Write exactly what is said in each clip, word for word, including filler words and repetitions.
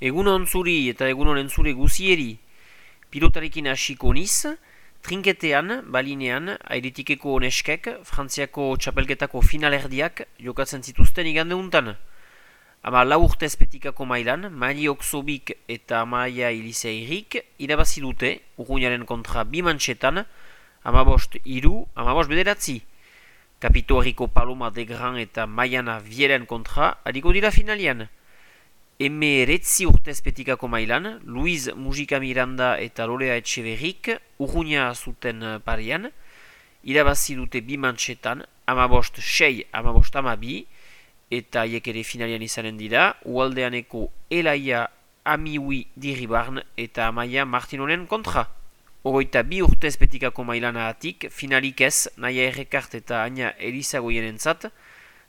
Egunon zuri eta egunon entzule guzieri, pilotarekin hasiko niz, trinketean, balinean, airetikeko oneskek, Frantziako txapelketako finalerdiak jokatzen zituzten igande untan. Ama lau urtez petikako mailan, Mari Oksobik eta Amaia Iliseirik irabazi dute, Urruñaren kontra bi mantxetan, amabost iru, amabost bederatzi. Kapito Herriko Paloma de Gran eta Maiana Vieren kontra, adiko dira finalian. Emeretzi urtez petikako mailan, Luiz Mujika Miranda eta Lorea Etxeverrik urruña zuten parian, irabazi dute bi mantxetan, amabost sei, amabost amabi, eta haiek ere finalian izanen dira, ualdeaneko Elaia Amiwi Diribarn eta Amaia Martinonen kontra. Ogoita bi urtez petikako mailana atik, finalik ez, Naia Errekart eta Aina Elizagoien entzat,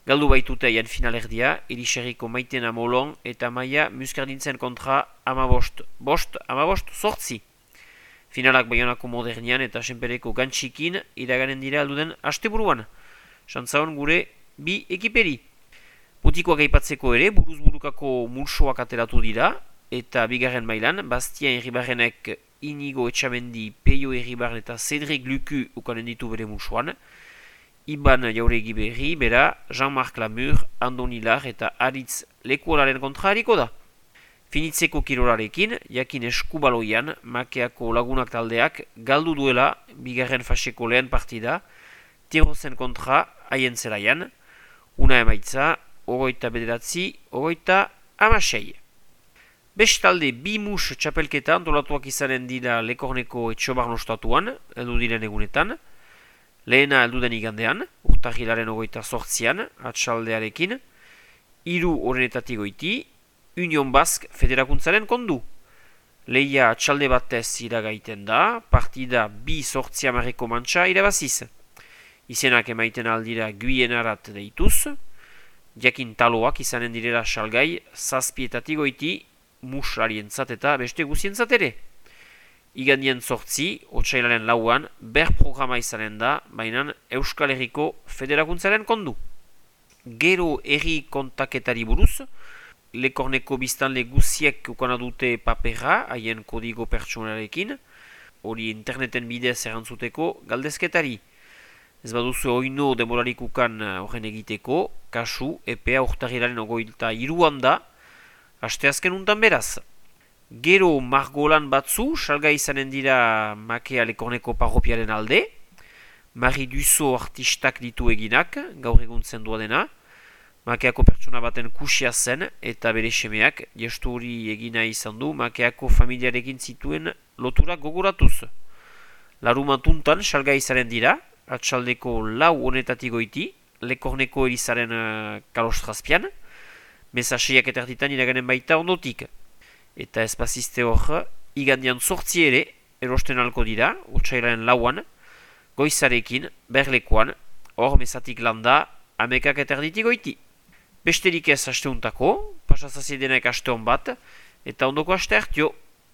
galdu baitute aian finalerdia, Eliserriko Maitena Molon eta Maia Muskardintzen kontra amabost, bost, amabost, sortzi. Finalak Baionako Modernian eta Senpereko Gantxikin iraganen dira alduden asteburuan. Santzaon gure bi ekiperi. Putikoak aipatzeko ere, buruz-burukako mulsoak ateratu dira, eta bigarren mailan, Bastian Irribarrenek Inigo Etxamendi, Peio Irribarren eta Cedric Lucu ukanen ditu bere mulsoan, Iban Jauregi berri, bera, Jean-Marc Lamur, Andoni Lar eta Aritz Lekuolaren kontra hariko da. Finitzeko kirolarekin, jakin eskubaloian, Makeako lagunak taldeak galdu duela bigarren faseko lehen partida, Tirozen kontra haien zelaian, una emaitza, ogoita bederatzi, ogoita amasei. Bestalde, bi mus txapelketa antolatuak izanen dira Lekorneko Etxobarn ostatuan, heldu diren egunetan, lehena elduden igandean, urtahilaren ogoita sortzian, atxaldearekin, hiru horrenetatik goiti, Union Basque federakuntzaren kondu. Lehia atxalde batez iragaiten da, partida bi sortzia marreko mantxa irabaziz. Izenak emaiten aldira guienarat deituz, jakin taloak izanen direla salgai, zazpietatik goiti, musarientzat eta beste guzientzat ere. Igandien sortzi, otsailaren lauan, ber programa izanen da, baina Euskal Herriko Federakuntzaren kondu. Gero herri kontaketari buruz, Lekorneko biztanle guziek ukana dute papera, haien kodigo pertsonarekin, hori interneten bidez erantzuteko galdezketari. Ez baduzu oino demorarik ukan horren egiteko, kasu, epea urtarrilaren ogoilta iruan da, asteazken untan beraz. Gero margolan batzu, salga izanen dira Makea Lekorneko parropiaren alde, Mari Duzo artistak ditu eginak, gaur egun zendua dena, Makeako pertsona baten kusia zen eta bere semeak, gestu hori egina izan du Makeako familiarekin zituen loturak gogoratuz. Larumatuntan salga izanen dira, atxaldeko lau honetatik goiti, Lekorneko erizaren uh, kalostrazpian, mesaseiak eta erditan iraganen baita ondotik. Eta espaziste hor, igandian sortzi ere, erosten alko dira, otsailaren lauan, goizarekin, berlekoan, hor mesatik landa, amekak eta erditik goiti. Besterik ez asteuntako, pasazaziedenek aste hon bat, eta ondoko aste hartio.